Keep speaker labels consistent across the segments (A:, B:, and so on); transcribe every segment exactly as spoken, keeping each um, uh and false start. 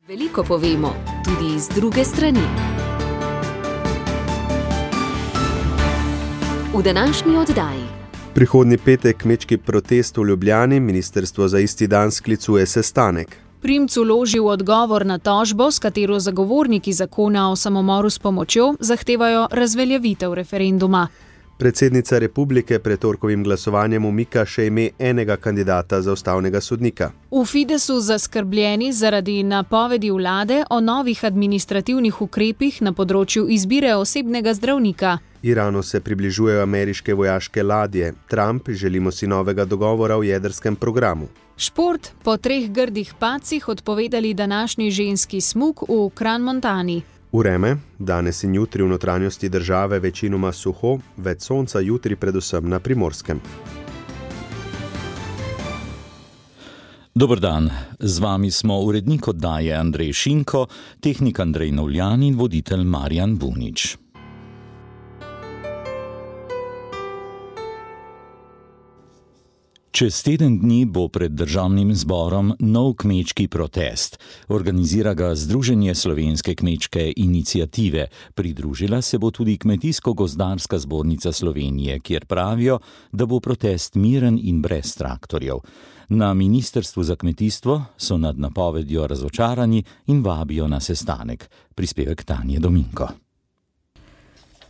A: Veliko povemo, tudi z druge strani. V današnji oddaji.
B: Prihodnji petek kmečki protest v Ljubljani, ministrstvo za isti dan sklicuje sestanek.
C: Primc vložil odgovor na tožbo, s katero zagovorniki zakona o samomoru s pomočjo zahtevajo razveljavitev referenduma.
B: Predsednica republike pred torkovim glasovanjem umika še ime enega kandidata za ustavnega sodnika.
C: V Fidesu zaskrbljeni zaradi napovedi vlade o novih administrativnih ukrepih na področju izbire osebnega zdravnika.
B: Iranu se približujejo ameriške vojaške ladje. Trump želimo si novega dogovora o jedrskem programu.
C: Šport, po treh grdih padcih odpovedali današnji ženski smuk v Kranj-Montani.
B: Vreme, danes in jutri v notranjosti države večinoma suho, več sonca jutri predvsem na Primorskem.
D: Dober dan, z vami smo urednik oddaje Andrej Šinko, tehnik Andrej Novljan in voditelj Marjan Bunič. Čez teden dni bo pred državnim zborom nov kmečki protest. Organizira ga Združenje slovenske kmečke iniciative. Pridružila se bo tudi Kmetijsko-gozdarska zbornica Slovenije, kjer pravijo, da bo protest miren in brez traktorjev. Na Ministrstvu za kmetijstvo so nad napovedjo razočarani in vabijo na sestanek. Prispevek Tanje Dominko.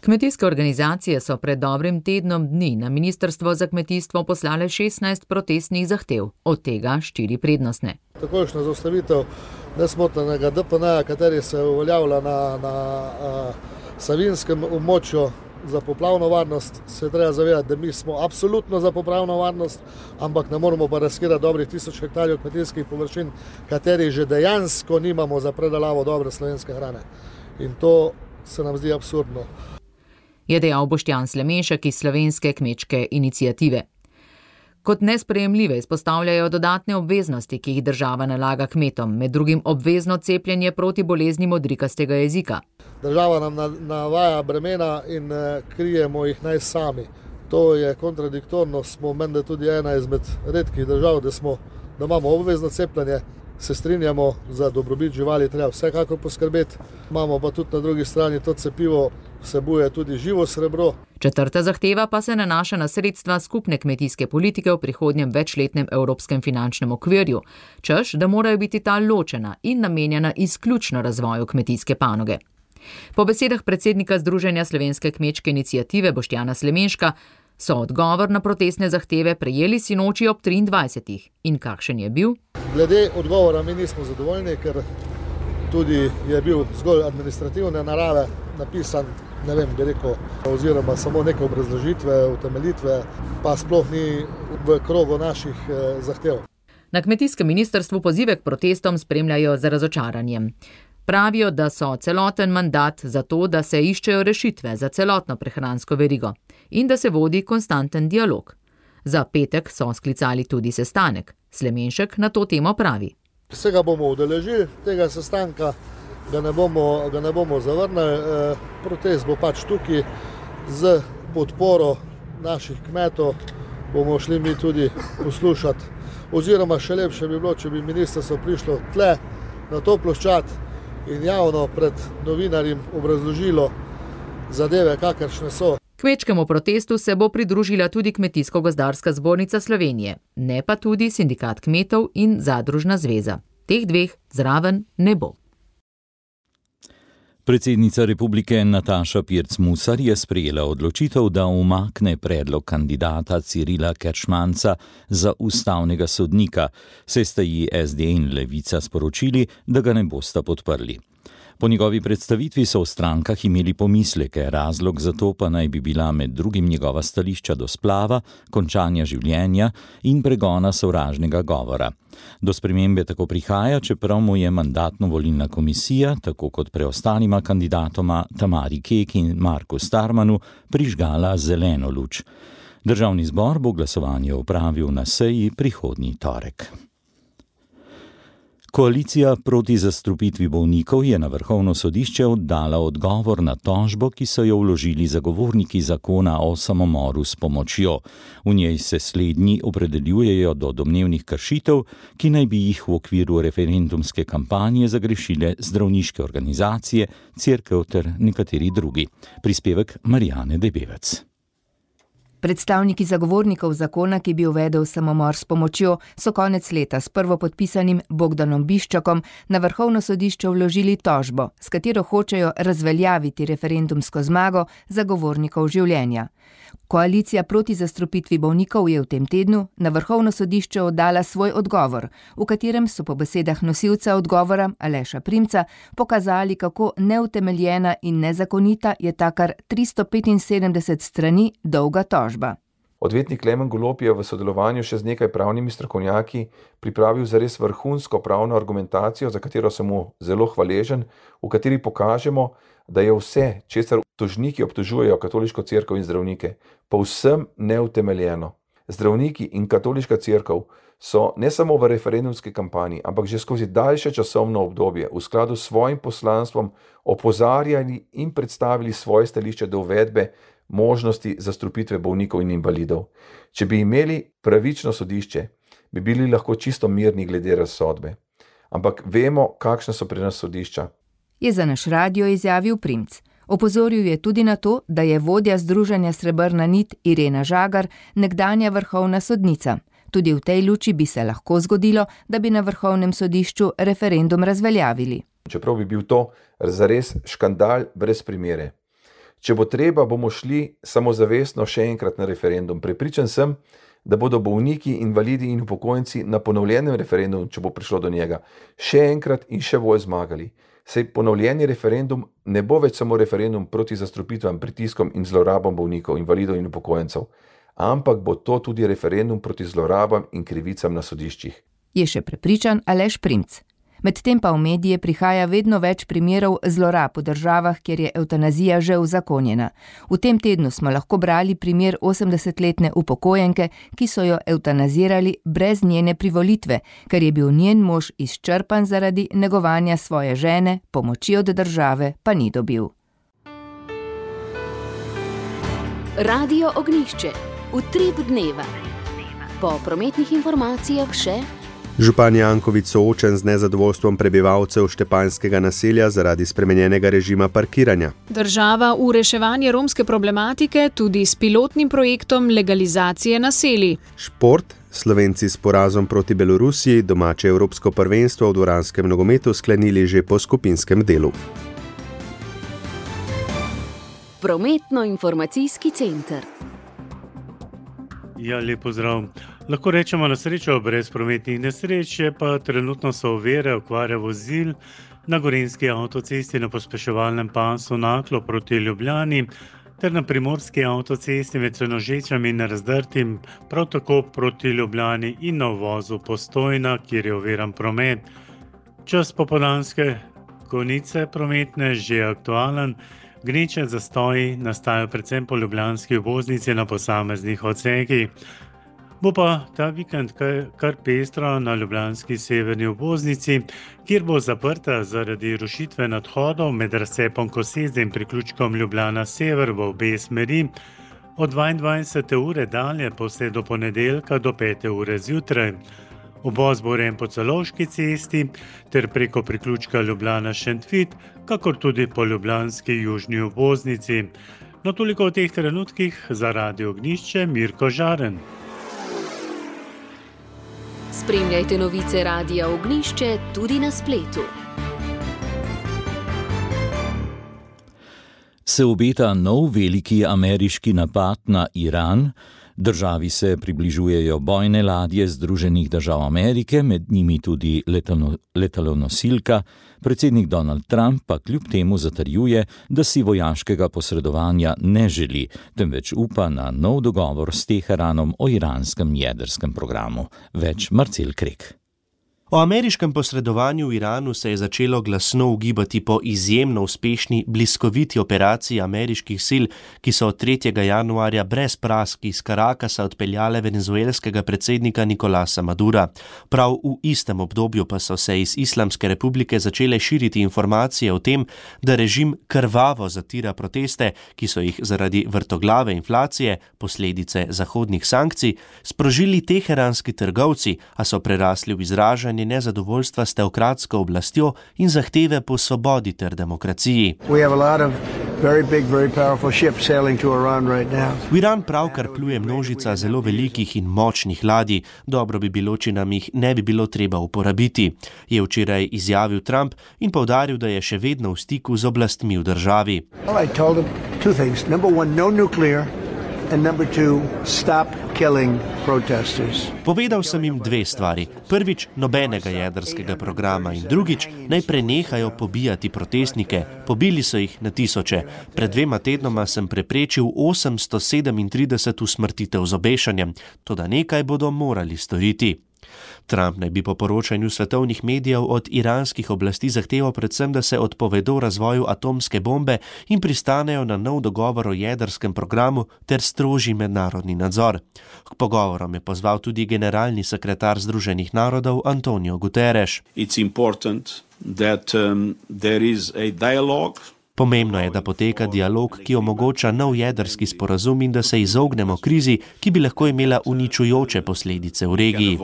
E: Kmetijske organizacije so pred dobrim tednom dni na Ministrstvo za kmetijstvo poslale šestnajst protestnih zahtev, od tega štiri prednostne.
F: Takojšnja zaustavitev nesmotenega D P N-ja, kateri se uveljavlja na, na a, savinjskem območju za poplavno varnost, se treba zavedati, da mi smo absolutno za poplavno varnost, ampak ne moramo pa riskirati dobrih tisoč hektarjev kmetijskih površin, kateri že dejansko nimamo za predelavo dobre slovenske hrane. In to se nam zdi absurdno.
E: Je dejal Boštjan Slemenšek iz Slovenske kmečke iniciative. Kot nesprejemljive izpostavljajo dodatne obveznosti, ki jih država nalaga kmetom, med drugim obvezno cepljenje proti bolezni modrikastega jezika.
F: Država nam navaja bremena in krijemo jih naj sami. To je kontradiktorno, smo menda tudi ena izmed redkih držav, da, smo, da imamo obvezno cepljenje. Se strinjamo, za dobrobit živali treba vsekakor poskrbeti, imamo pa tudi na drugi strani to cepivo vsebuje tudi živo srebro.
E: Četrta zahteva pa se nanaša na sredstva skupne kmetijske politike v prihodnjem večletnem evropskem finančnem okvirju, češ, da morajo biti ta ločena in namenjena izključno razvoju kmetijske panoge. Po besedah predsednika Združenja slovenske kmečke iniciative Boštjana Slemenška so odgovor na protestne zahteve prejeli sinoči ob triindvajsetih. In kakšen je bil?
F: Glede odgovora mi nismo zadovoljni, ker tudi je bil zgolj administrativne narave napisan, ne vem, bi rekel, oziroma samo neke obrazložitve, utemeljitve, pa sploh ni v krogu naših zahtev.
E: Na kmetijskem ministrstvu pozive k protestom spremljajo z razočaranjem. Pravijo, da so celoten mandat za to, da se iščejo rešitve za celotno prehransko verigo in da se vodi konstanten dialog. Za petek so sklicali tudi sestanek. Slemenšek na to temo pravi.
F: Se ga bomo udeležili, tega sestanka ga ne bomo, ga ne bomo zavrnili. E, protest bo pač tukaj z podporo naših kmetov, bomo šli mi tudi poslušati. Oziroma še lepše bi bilo, če bi ministrstvo prišlo tle na to ploščad in javno pred novinarjem obrazložilo zadeve, kakršne so.
E: Kmečkemu protestu se bo pridružila tudi Kmetijsko-gozdarska zbornica Slovenije, ne pa tudi Sindikat kmetov in Zadružna zveza. Teh dveh zraven ne bo.
D: Predsednica republike Nataša Pirc Musar je sprejela odločitev, da umakne predlog kandidata Cirila Keršmanca za ustavnega sodnika, saj sta ji S D in Levica sporočili, da ga ne bosta podprli. Po njegovi predstavitvi so v strankah imeli pomisleke, razlog za to pa naj bi bila med drugim njegova stališča do splava, končanja življenja in pregona sovražnega govora. Do spremembe tako prihaja, čeprav mu je mandatno-volilna komisija, tako kot preostalima kandidatoma Tamari Kek in Marku Starmanu, prižgala zeleno luč. Državni zbor bo glasovanje opravil na seji prihodnji torek. Koalicija proti zastrupitvi bolnikov je na Vrhovno sodišče oddala odgovor na tožbo, ki so jo vložili zagovorniki zakona o samomoru s pomočjo. V njej se slednji opredeljujejo do domnevnih kršitev, ki naj bi jih v okviru referendumske kampanje zagrešile zdravniške organizacije, cerkev ter nekateri drugi. Prispevek Marijane Debevec.
G: Predstavniki zagovornikov zakona, ki bi uvedel samomor s pomočjo, so konec leta s prvopodpisanim Bogdanom Biščakom na Vrhovno sodišče vložili tožbo, s katero hočejo razveljaviti referendumsko zmago zagovornikov življenja. Koalicija proti zastrupitvi bolnikov je v tem tednu na Vrhovno sodišče oddala svoj odgovor, v katerem so po besedah nosilca odgovora Aleša Primca pokazali, kako neutemeljena in nezakonita je ta kar tristo petinsedemdeset strani dolga tožba.
H: Odvetnik Klemen Golob je v sodelovanju še z nekaj pravnimi strokovnjaki pripravil zares vrhunsko pravno argumentacijo, za katero sem mu zelo hvaležen, v kateri pokažemo, da je vse, česar tožniki obtožujejo katoliško cerkev in zdravnike, povsem neutemeljeno. Zdravniki in katoliška cerkev so ne samo v referendumski kampanji, ampak že skozi daljše časovno obdobje v skladu s svojim poslanstvom opozarjali in predstavili svoje stališče do uvedbe možnosti zastrupitve bolnikov in invalidov. Če bi imeli pravično sodišče, bi bili lahko čisto mirni glede razsodbe. Ampak vemo, kakšna so pri nas sodišča.
G: Je za naš radio izjavil Primc. Opozoril je tudi na to, da je vodja Združenja Srebrna nit Irena Žagar nekdanja vrhovna sodnica. Tudi v tej luči bi se lahko zgodilo, da bi na Vrhovnem sodišču referendum razveljavili.
H: Čeprav bi bil to zares škandal brez primere. Če bo treba, bomo šli samozavestno še enkrat na referendum. Prepričan sem, da bodo bolniki, invalidi in upokojenci na ponovljenem referendumu, če bo prišlo do njega, še enkrat in še bolj zmagali. Saj ponovljeni referendum ne bo več samo referendum proti zastrupitvam, pritiskom in zlorabam bolnikov, invalidov in upokojencev, ampak bo to tudi referendum proti zlorabam in krivicam na sodiščih.
G: Je še prepričan Aleš Primc. Medtem pa v medije prihaja vedno več primerov zlorab v državah, kjer je evtanazija že uzakonjena. V tem tednu smo lahko brali primer osemdesetletne upokojenke, ki so jo evtanazirali brez njene privolitve, ker je bil njen mož izčrpan zaradi negovanja svoje žene, pomoči od države pa ni dobil.
A: Radio Ognjišče. Utrip dneva. Po prometnih informacijah še
B: Župan Janković soočen z nezadovoljstvom prebivalcev štepanjskega naselja zaradi spremenjenega režima parkiranja.
C: Država v reševanje romske problematike tudi s pilotnim projektom legalizacije naselij.
B: Šport. Slovenci s porazom proti Belorusiji domače evropsko prvenstvo v dvoranskem nogometu sklenili že po skupinskem delu.
A: Prometno-informacijski center.
I: Ja, lep pozdrav. Lahko rečemo na srečo brez prometnih nesreč, pa trenutno so ovire okvare vozil na gorenjski avtocesti na pospeševalnem pasu Naklo proti Ljubljani ter na primorski avtocesti med Senožečami in Razdrtim, prav tako proti Ljubljani in na uvozu Postojna, kjer je oviran promet. Čas popoldanske konice prometne že aktualen. Gneče zastoji nastajajo predvsem po ljubljanski obvoznici na posameznih odsekih. Bo pa ta vikend kar pestro na ljubljanski severni obvoznici, kjer bo zaprta zaradi rušitve nadhodov med razcepom Koseze in priključkom Ljubljana Sever v obe smeri od dvaindvajsete ure dalje pa vse do ponedeljka do pete ure zjutraj. Uvoz bo urejen po Celovški cesti ter preko priključka Ljubljana Šentvid, kakor tudi po ljubljanski južni obvoznici. No, toliko v teh trenutkih za Radio Ognjišče, Mirko Žaren.
A: Spremljajte novice Radia Ognjišče tudi na spletu.
D: Se obeta nov veliki ameriški napad na Iran. Državi se približujejo bojne ladje Združenih držav Amerike, med njimi tudi letalo, letalonosilka. Predsednik Donald Trump pa kljub temu zatrjuje, da si vojaškega posredovanja ne želi, temveč upa na nov dogovor s Teheranom o iranskem jedrskem programu. Več Marcel Krek.
J: O ameriškem posredovanju v Iranu se je začelo glasno ugibati po izjemno uspešni bliskoviti operaciji ameriških sil, ki so od tretjega januarja brez prask iz Karakasa odpeljale venezuelskega predsednika Nicolasa Madura. Prav v istem obdobju pa so se iz Islamske republike začele širiti informacije o tem, da režim krvavo zatira proteste, ki so jih zaradi vrtoglave inflacije, posledice zahodnih sankcij, sprožili teheranski trgovci, a so prerasli v izražanje nezadovoljstva s teokratsko oblastjo in zahteve po svobodi ter demokraciji.
K: Very big, very powerful ships sailing to Iran right now.
J: V Iran pravkar pluje množica zelo velikih in močnih ladij. Dobro bi bilo, če nam jih ne bi bilo treba uporabiti, je včeraj izjavil Trump in poudaril, da je še vedno v stiku z oblastmi v državi.
K: Well, I told him two things. Number one, no nuclear. And number two, stop killing protesters.
J: Povedal sem jim dve stvari. Prvič, nobenega jedrskega programa in drugič, naj prenehajo pobijati protestnike. Pobili so jih na tisoče. Pred dvema tednoma sem preprečil osemsto sedemintrideset usmrtitev z obešanjem. Toda nekaj bodo morali storiti. Trump naj bi po poročanju svetovnih medijev od iranskih oblasti zahteval predvsem, da se odpovedo razvoju atomske bombe in pristanejo na nov dogovor o jedrskem programu ter strožji mednarodni nadzor. K pogovorom je pozval tudi generalni sekretar Združenih narodov Antonio Guterres.
L: It's important that um, there is a dialogue.
J: Pomembno je, da poteka dialog, ki omogoča nov jedrski sporazum in da se izognemo krizi, ki bi lahko imela uničujoče posledice v regiji.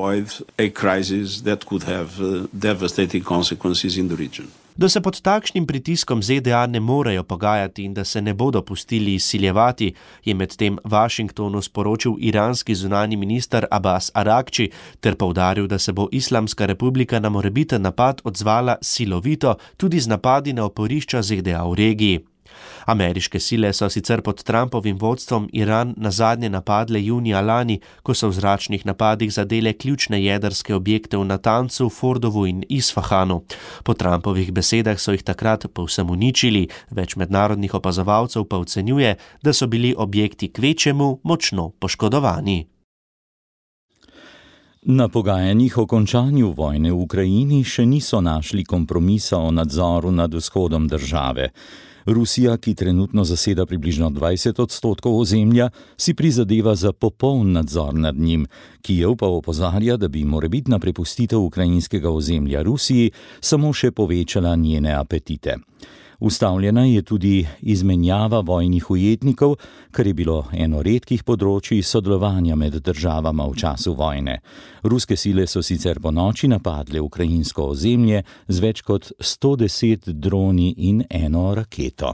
J: Da se pod takšnim pritiskom Z D A ne morejo pogajati in da se ne bodo pustili izsiljevati, je medtem Washingtonu sporočil iranski zunanji minister Abbas Arakči ter poudaril, da se bo Islamska republika na morebiten napad odzvala silovito tudi z napadi na oporišča Z D A v regiji. Ameriške sile so sicer pod Trumpovim vodstvom Iran nazadnje napadle junija lani, ko so v zračnih napadih zadele ključne jedrske objekte v Natancu, Fordovu in Isfahanu. Po Trumpovih besedah so jih takrat povsem uničili, več mednarodnih opazovalcev pa ocenjuje, da so bili objekti kvečjemu močno poškodovani.
D: Na pogajanjih o končanju vojne v Ukrajini še niso našli kompromisa o nadzoru nad vzhodom države. Rusija, ki trenutno zaseda približno dvajset odstotkov ozemlja, si prizadeva za popoln nadzor nad njim. Kijev pa opozarja, da bi morebitna prepustitev ukrajinskega ozemlja Rusiji samo še povečala njene apetite. Ustavljena je tudi izmenjava vojnih ujetnikov, kar je bilo eno redkih področij sodelovanja med državama v času vojne. Ruske sile so sicer po noči napadle ukrajinsko ozemlje z več kot sto deset droni in eno raketo.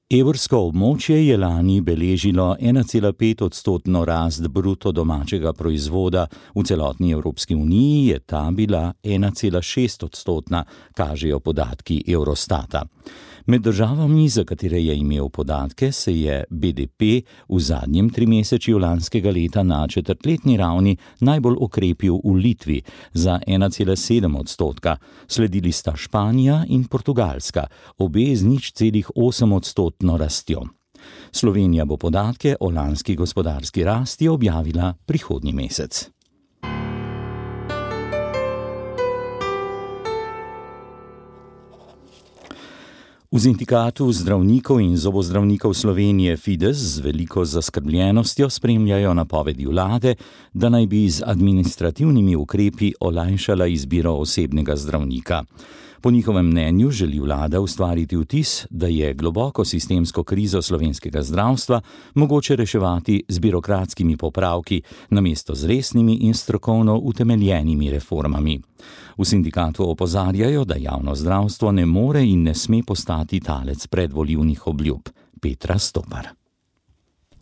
D: Evrsko območje je lani beležilo ena cela pet odstotno rast bruto domačega proizvoda, v celotni Evropski uniji je ta bila ena cela šest odstotna, kažejo podatki Eurostata. Med državami, za katere je imel podatke, se je B D P v zadnjem trimesečju lanskega leta na četrtletni ravni najbolj okrepil v Litvi za ena cela sedem odstotka. Sledili sta Španija in Portugalska, obe z nič celih osem odstotno rastjo. Slovenija bo podatke o lanski gospodarski rasti objavila prihodnji mesec. V sindikatu zdravnikov in zobozdravnikov Slovenije Fides z veliko zaskrbljenostjo spremljajo napovedi vlade, da naj bi z administrativnimi ukrepi olajšala izbiro osebnega zdravnika. Po njihovem mnenju želi vlada ustvariti vtis, da je globoko sistemsko krizo slovenskega zdravstva mogoče reševati z birokratskimi popravki, namesto z resnimi in strokovno utemeljenimi reformami. V sindikatu opozarjajo, da javno zdravstvo ne more in ne sme postati talec predvolilnih obljub. Petra Stopar.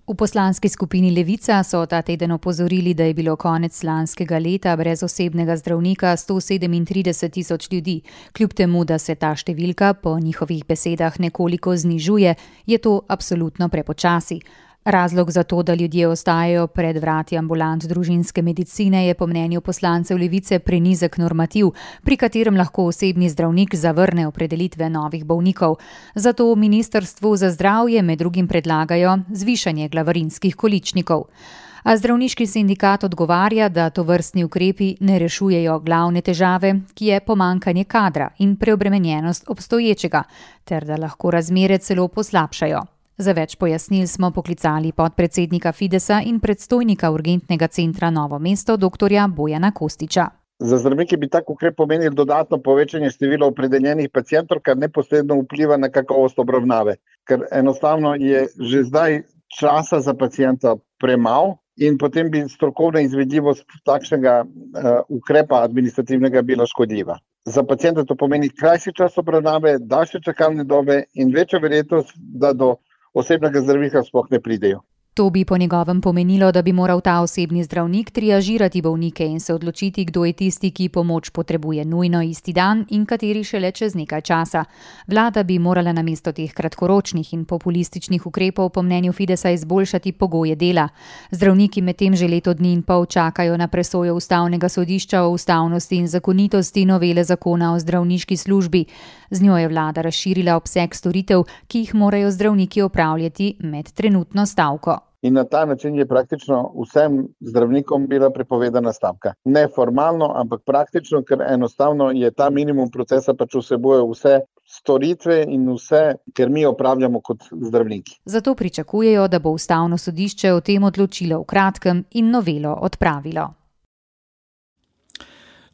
M: V poslanski skupini Levica so ta teden opozorili, da je bilo konec lanskega leta brez osebnega zdravnika sto sedemintrideset tisoč ljudi. Kljub temu, da se ta številka po njihovih besedah nekoliko znižuje, je to absolutno prepočasi. Razlog za to, da ljudje ostajajo pred vrati ambulant družinske medicine, je po mnenju poslancev Levice prenizek normativ, pri katerem lahko osebni zdravnik zavrne opredelitve novih bolnikov. Zato ministrstvu za zdravje med drugim predlagajo zvišanje glavarinskih količnikov. A zdravniški sindikat odgovarja, da tovrstni ukrepi ne rešujejo glavne težave, ki je pomanjkanje kadra in preobremenjenost obstoječega, ter da lahko razmere celo poslabšajo. Za več pojasnil smo poklicali podpredsednika Fidesa in predstojnika urgentnega centra Novo mesto, doktorja Bojana Kostiča.
N: Za zdravnike bi tak ukrep pomenil dodatno povečanje števila opredeljenih pacientov, kar neposredno vpliva na kakovost obravnave. Ker enostavno je že zdaj časa za pacienta premalo in potem bi strokovna izvedljivost takšnega uh, ukrepa administrativnega bila škodljiva. Za pacienta to pomeni krajši čas obravnave, daljše čakalne dobe in večja verjetnost, da do osebnega zdravnika sploh ne pridejo.
M: To bi po njegovem pomenilo, da bi moral ta osebni zdravnik triažirati bolnike in se odločiti, kdo je tisti, ki pomoč potrebuje nujno isti dan in kateri šele čez nekaj časa. Vlada bi morala namesto teh kratkoročnih in populističnih ukrepov po mnenju Fidesa izboljšati pogoje dela. Zdravniki medtem že leto dni in pol čakajo na presojo ustavnega sodišča o ustavnosti in zakonitosti novele zakona o zdravniški službi. Z njo je vlada razširila obseg storitev, ki jih morajo zdravniki opravljati med trenutno stavko.
N: In na ta način je praktično vsem zdravnikom bila prepovedana stavka. Ne formalno, ampak praktično, ker enostavno je ta minimum procesa pač vsebuje vse storitve in vse, ker mi opravljamo kot zdravniki.
M: Zato pričakujejo, da bo ustavno sodišče o tem odločilo v kratkem in novelo odpravilo.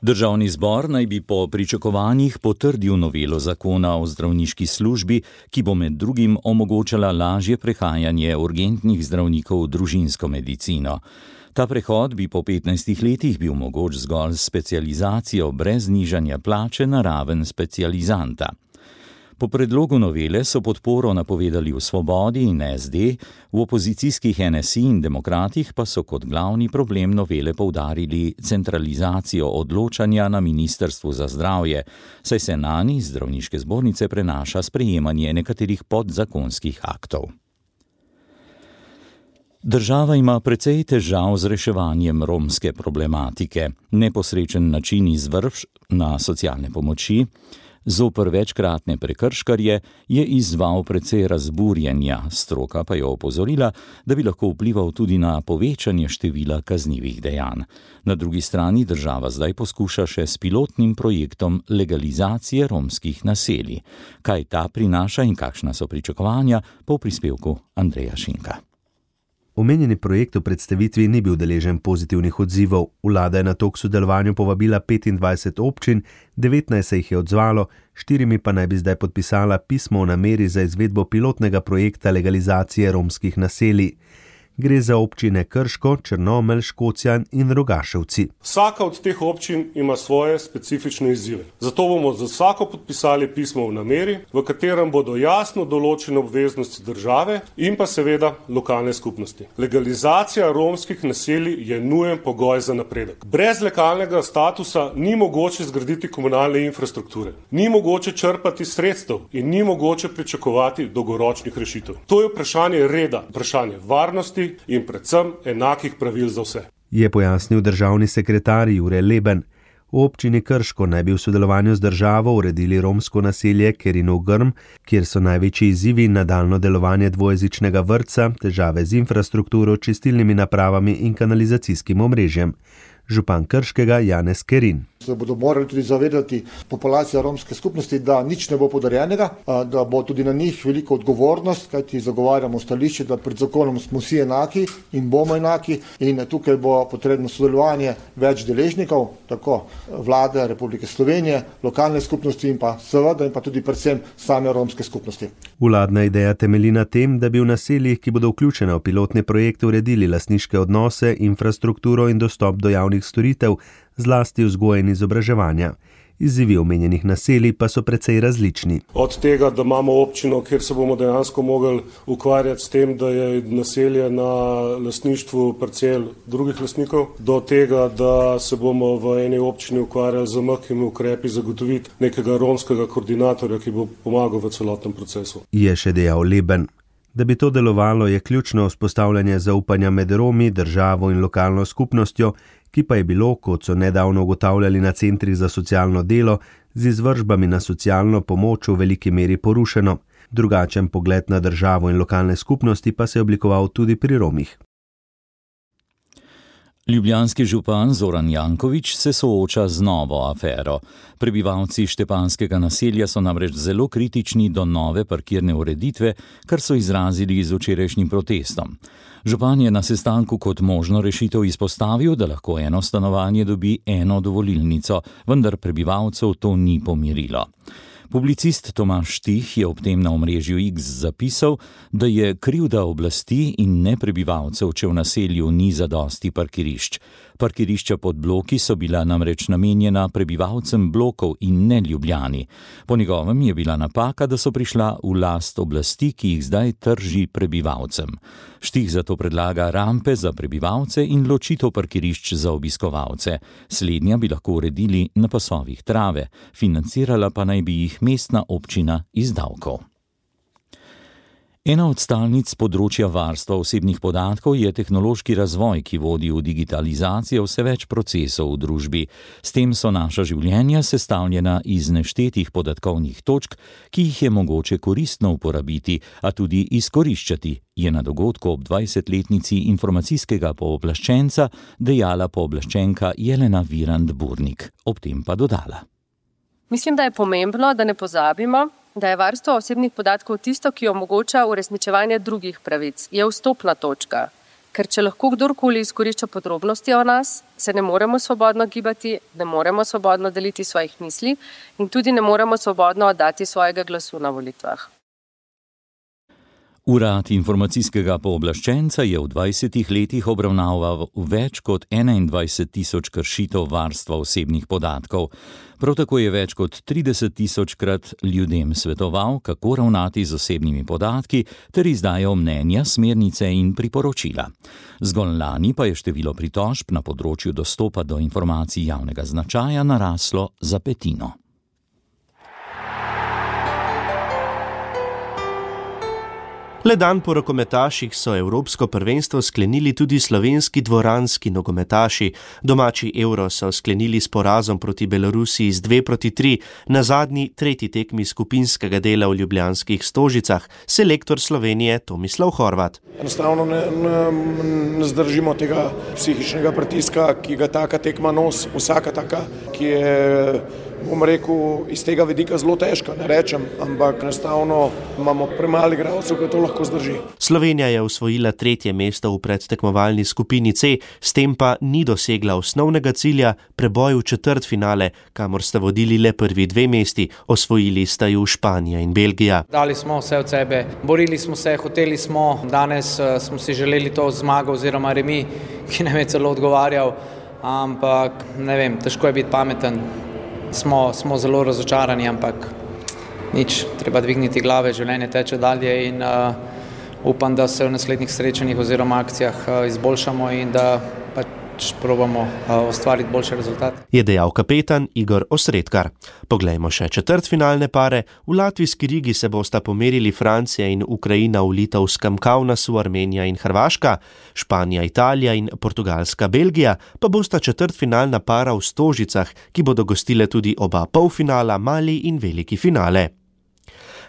D: Državni zbor naj bi po pričakovanjih potrdil novelo zakona o zdravniški službi, ki bo med drugim omogočala lažje prehajanje urgentnih zdravnikov v družinsko medicino. Ta prehod bi po petnajstih letih bil mogoč zgolj s specializacijo brez znižanja plače na raven specializanta. Po predlogu novele so podporo napovedali v Svobodi in es de, v opozicijskih en es i in Demokratih pa so kot glavni problem novele poudarili centralizacijo odločanja na Ministrstvu za zdravje, saj se nani iz zdravniške zbornice prenaša sprejemanje nekaterih podzakonskih aktov. Država ima precej težav z reševanjem romske problematike. Neposrečen način izvrš na socialne pomoči zoper večkratne prekrškarje je izzval precej razburjenja, stroka pa je opozorila, da bi lahko vplival tudi na povečanje števila kaznivih dejanj. Na drugi strani država zdaj poskuša še s pilotnim projektom legalizacije romskih naselij. Kaj ta prinaša in kakšna so pričakovanja, po prispevku Andreja Šinka.
B: Omenjeni projekt v predstavitvi ni bil deležen pozitivnih odzivov. Vlada je na to k sodelovanju povabila petindvajset občin, devetnajst se jih je odzvalo, štirimi pa naj bi zdaj podpisala pismo o nameri za izvedbo pilotnega projekta legalizacije romskih naselij. Gre za občine Krško, Črnomelj, Škocjan in Rogaševci.
O: Vsaka od teh občin ima svoje specifične izzive. Zato bomo za vsako podpisali pismo v nameri, v katerem bodo jasno določene obveznosti države in pa seveda lokalne skupnosti. Legalizacija romskih naselij je nujen pogoj za napredek. Brez legalnega statusa ni mogoče zgraditi komunalne infrastrukture, ni mogoče črpati sredstev in ni mogoče pričakovati dolgoročnih rešitev. To je vprašanje reda, vprašanje varnosti in predvsem enakih pravil za vse.
B: Je pojasnil državni sekretar Jure Leben. V občini Krško naj bi v sodelovanju z državo uredili romsko naselje Kerinov Grm, kjer so največji izzivi nadaljnje delovanje dvojezičnega vrtca, težave z infrastrukturo, čistilnimi napravami in kanalizacijskim omrežjem. Župan Krškega Janez Kerin.
F: Se bodo morali tudi zavedati populacija romske skupnosti, da nič ne bo podarjenega, da bo tudi na njih velika odgovornost, kajti zagovarjamo stališče, da pred zakonom smo vsi enaki in bomo enaki in tukaj bo potrebno sodelovanje več deležnikov, tako vlade Republike Slovenije, lokalne skupnosti in pa seveda in pa tudi predvsem same romske skupnosti.
B: Vladna ideja temelji na tem, da bi v naseljih, ki bodo vključene v pilotne projekte, uredili lastniške odnose, infrastrukturo in dostop do javnih storitev, zlasti vzgoje in izobraževanja. Izzivi omenjenih naselij pa so precej različni.
O: Od tega, da imamo občino, kjer se bomo dejansko mogli ukvarjati s tem, da je naselje na lastništvu parcel drugih lastnikov, do tega, da se bomo v eni občini ukvarjali z mehkimi ukrepi zagotoviti nekega romskega koordinatorja, ki bo pomagal v celotnem procesu.
B: Je še dejal Leben. Da bi to delovalo, je ključno vzpostavljanje zaupanja med Romi, državo in lokalno skupnostjo, ki pa je bilo, kot so nedavno ugotavljali na centrih za socialno delo, z izvršbami na socialno pomoč v veliki meri porušeno. Drugačen pogled na državo in lokalne skupnosti pa se je oblikoval tudi pri Romih.
D: Ljubljanski župan Zoran Janković se sooča z novo afero. Prebivalci Štepanskega naselja so namreč zelo kritični do nove parkirne ureditve, kar so izrazili z včerajšnjim protestom. Župan je na sestanku kot možno rešitev izpostavil, da lahko eno stanovanje dobi eno dovolilnico, vendar prebivalcev to ni pomirilo. Publicist Tomaž Štih je ob tem na omrežju X zapisal, da je krivda oblasti in ne prebivalcev, če v naselju ni zadosti parkirišč. Parkirišča pod bloki so bila namreč namenjena prebivalcem blokov in ne Ljubljani. Po njegovem je bila napaka, da so prišla v last oblasti, ki jih zdaj trži prebivalcem. Štih zato predlaga rampe za prebivalce in ločitev parkirišč za obiskovalce. Slednja bi lahko uredili na pasovih trave, financirala pa naj bi jih mestna občina iz davkov. Ena od stalnic področja varstva osebnih podatkov je tehnološki razvoj, ki vodi v digitalizacijo vse več procesov v družbi. S tem so naša življenja sestavljena iz neštetih podatkovnih točk, ki jih je mogoče koristno uporabiti, a tudi izkoriščati, je na dogodku ob dvajsetletnici informacijskega pooblaščenca dejala pooblaščenka Jelena Virant-Burnik. Ob tem pa dodala.
P: Mislim, da je pomembno, da ne pozabimo, da je varstvo osebnih podatkov tisto, ki omogoča uresničevanje drugih pravic, je vstopna točka. Ker če lahko kdorkoli izkorišča podrobnosti o nas, se ne moremo svobodno gibati, ne moremo svobodno deliti svojih misli in tudi ne moremo svobodno oddati svojega glasu na volitvah.
D: Urad informacijskega pooblaščenca je v dvajsetih letih obravnaval več kot enaindvajset tisoč kršitev varstva osebnih podatkov. Prav tako je več kot trideset tisočkrat ljudem svetoval, kako ravnati z osebnimi podatki, ter izdajal mnenja, smernice in priporočila. Zgolj lani pa je število pritožb na področju dostopa do informacij javnega značaja naraslo za petino.
J: Le dan po rokometaših so evropsko prvenstvo sklenili tudi slovenski dvoranski nogometaši. Domači Euro so sklenili s porazom proti Belorusiji z dve proti tri, na zadnji tretji tekmi skupinskega dela v ljubljanskih Stožicah, selektor Slovenije Tomislav Horvat.
Q: Enostavno ne, ne, ne zdržimo tega psihičnega pritiska, ki ga taka tekma nosi. Vsaka taka, ki je, bom rekel, iz tega vidika zelo težka, ne rečem, ampak enostavno imamo premalo igralcev, ki to lahko zdrži.
J: Slovenija je osvojila tretje mesto v predtekmovalni skupini C, s tem pa ni dosegla osnovnega cilja, preboj v četrtfinale, kamor sta vodili le prvi dve mesti, osvojili sta ju Španija in Belgija.
R: Dali smo vse od sebe, borili smo se, hoteli smo, danes smo si želeli to zmago oziroma remi, ki nam je celo odgovarjal, ampak ne vem, težko je biti pameten. Smo, smo zelo razočarani, ampak nič, treba dvigniti glave, življenje teče dalje in uh, upam, da se v naslednjih srečanjih oziroma akcijah uh, izboljšamo in da pač probamo uh, ustvariti boljše rezultate.
J: Je dejal kapetan Igor Osredkar. Poglejmo še četrtfinalne pare. V latvijski Rigi se bosta pomerili Francija in Ukrajina v litovskem Kaunasu, Armenija in Hrvaška, Španija, Italija in Portugalska, Belgija, pa bosta četrtfinalna para v Stožicah, ki bodo gostile tudi oba polfinala, mali in veliki finale.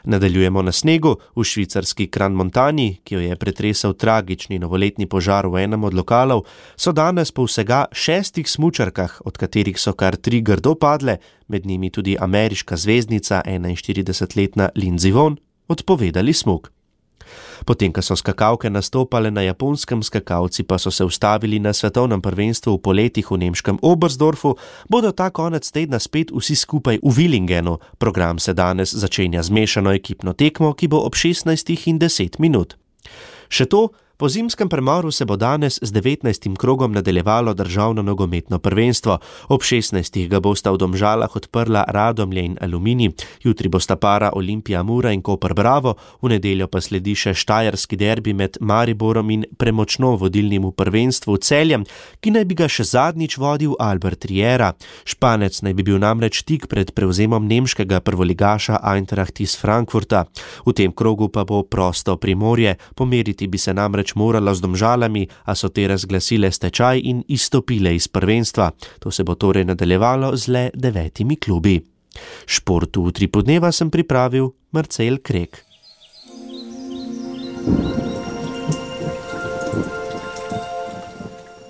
J: Nadaljujemo na snegu. V švicarski Crans-Montagni, ki jo je pretresel tragični novoletni požar v enem od lokalov, so danes po vsega šestih smučarkah, od katerih so kar tri grdo padle, med njimi tudi ameriška zvezdnica, enainštiridesetletna Lindsey Vonn, odpovedali smuk. Potem, ko so skakalke nastopale na Japonskem, skakalci pa so se ustavili na svetovnem prvenstvu v poletih v nemškem Oberstdorfu, bodo ta konec tedna spet vsi skupaj v Willingenu. Program se danes začenja z mešano ekipno tekmo, ki bo ob šestnajstih in deset minut. Še to, po zimskem premoru se bo danes z devetnajstim krogom nadaljevalo državno nogometno prvenstvo. Ob šestnajstih ga bosta v Domžalah odprla Radomlje in Aluminij. Jutri bosta para Olimpija Mura in Koper Bravo, v nedeljo pa sledi še štajerski derbi med Mariborom in premočno vodilnim v prvenstvu Celjem, ki naj bi ga še zadnjič vodil Albert Riera. Španec naj bi bil namreč tik pred prevzemom nemškega prvoligaša Eintracht iz Frankfurta. V tem krogu pa bo prosto Primorje, pomeriti bi se namreč morala z Domžalami, a so te razglasile stečaj in izstopile iz prvenstva. To se bo torej nadaljevalo z le devetimi klubi. Športu v tri podneva sem pripravil Marcel Krek.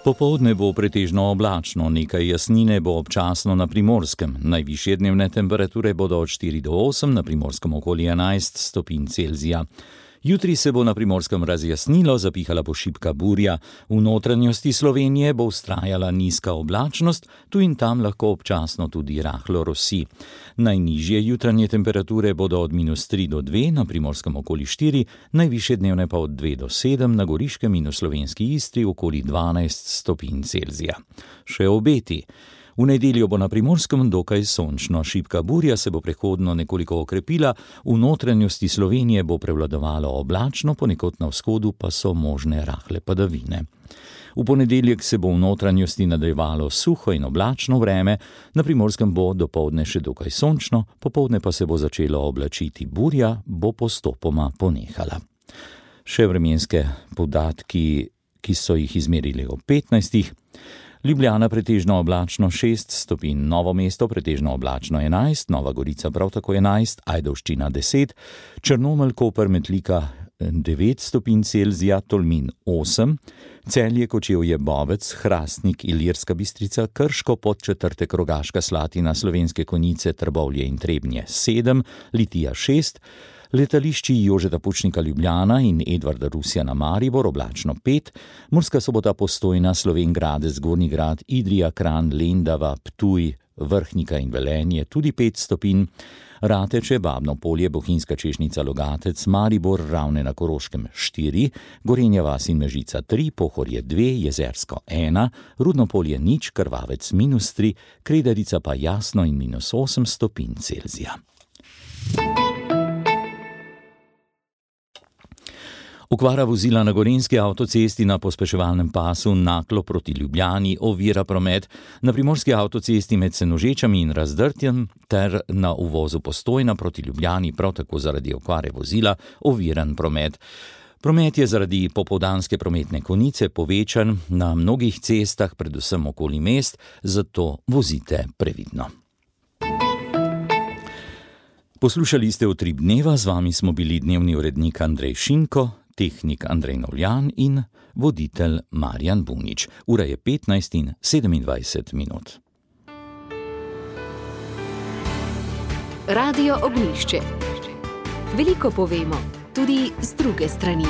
D: Popoldne bo pretežno oblačno, nekaj jasnine bo občasno na Primorskem. Najvišje dnevne temperature bodo od štiri do osem, na Primorskem okoli enajst stopinj Celzija. Jutri se bo na Primorskem razjasnilo, zapihala bo šibka burja. V notranjosti Slovenije bo vztrajala nizka oblačnost, tu in tam lahko občasno tudi rahlo rosi. Najnižje jutranje temperature bodo od minus tri do dve, na Primorskem okoli štiri, najvišje dnevne pa od dve do sedem, na Goriškem in v slovenski Istri okoli dvanajst stopinj Celzija. Še obeti. V nedeljo bo na Primorskem dokaj sončno, šibka burja se bo prehodno nekoliko okrepila, v notranjosti Slovenije bo prevladovalo oblačno, ponekod na vzhodu pa so možne rahle padavine. V ponedeljek se bo v notranjosti nadaljevalo suho in oblačno vreme, na Primorskem bo dopoldne še dokaj sončno, popoldne pa se bo začelo oblačiti, burja bo postopoma ponehala. Še vremenske podatki, ki so jih izmerili ob petnajstih. Ljubljana pretežno oblačno šest stopinj, Novo mesto pretežno oblačno enajst, Nova Gorica prav tako enajst, Ajdovščina deset, Črnomelj, Koper, Metlika devet stopinj Celzija, Tolmin osem, Celje, Kočevje, Bovec, Hrastnik, Ilirska Bistrica, Krško, Podčetrtek, Rogaška Slatina, Slovenske Konjice, Trbovlje in Trebnje sedem, Litija šest, letališči Jožeta Pučnika Ljubljana in Edvarda Rusjana Maribor oblačno pet, Murska Sobota Postojna, Slovenj Gradec, Gornji Grad, Idrija, Kranj, Lendava, Ptuj, Vrhnika in Velenje tudi pet stopinj, Rateče, Babno Polje, Bohinjska Češnica, Logatec, Maribor, Ravne na Koroškem štiri, Gorenja vas in Mežica tri, Pohorje dve, Jezersko ena, Rudno Polje nič, Krvavec minus tri, Kredarica pa jasno in minus osem stopinj Celzija. Okvara vozila na gorenjski avtocesti na pospeševalnem pasu Naklo proti Ljubljani ovira promet, na primorski avtocesti med Senožečami in Razdrtjem ter na uvozu Postojna proti Ljubljani prav tako zaradi okvare vozila oviran promet. Promet je zaradi popoldanske prometne konice povečan na mnogih cestah, predvsem okoli mest, zato vozite previdno. Poslušali ste Utrip dneva, z vami smo bili dnevni urednik Andrej Šinko, tehnik Andrej Novljan in voditelj Marjan Bunič. Ura je petnajst in sedemindvajset minut.
A: Radio Ognjišče. Veliko povemo, tudi z druge strani.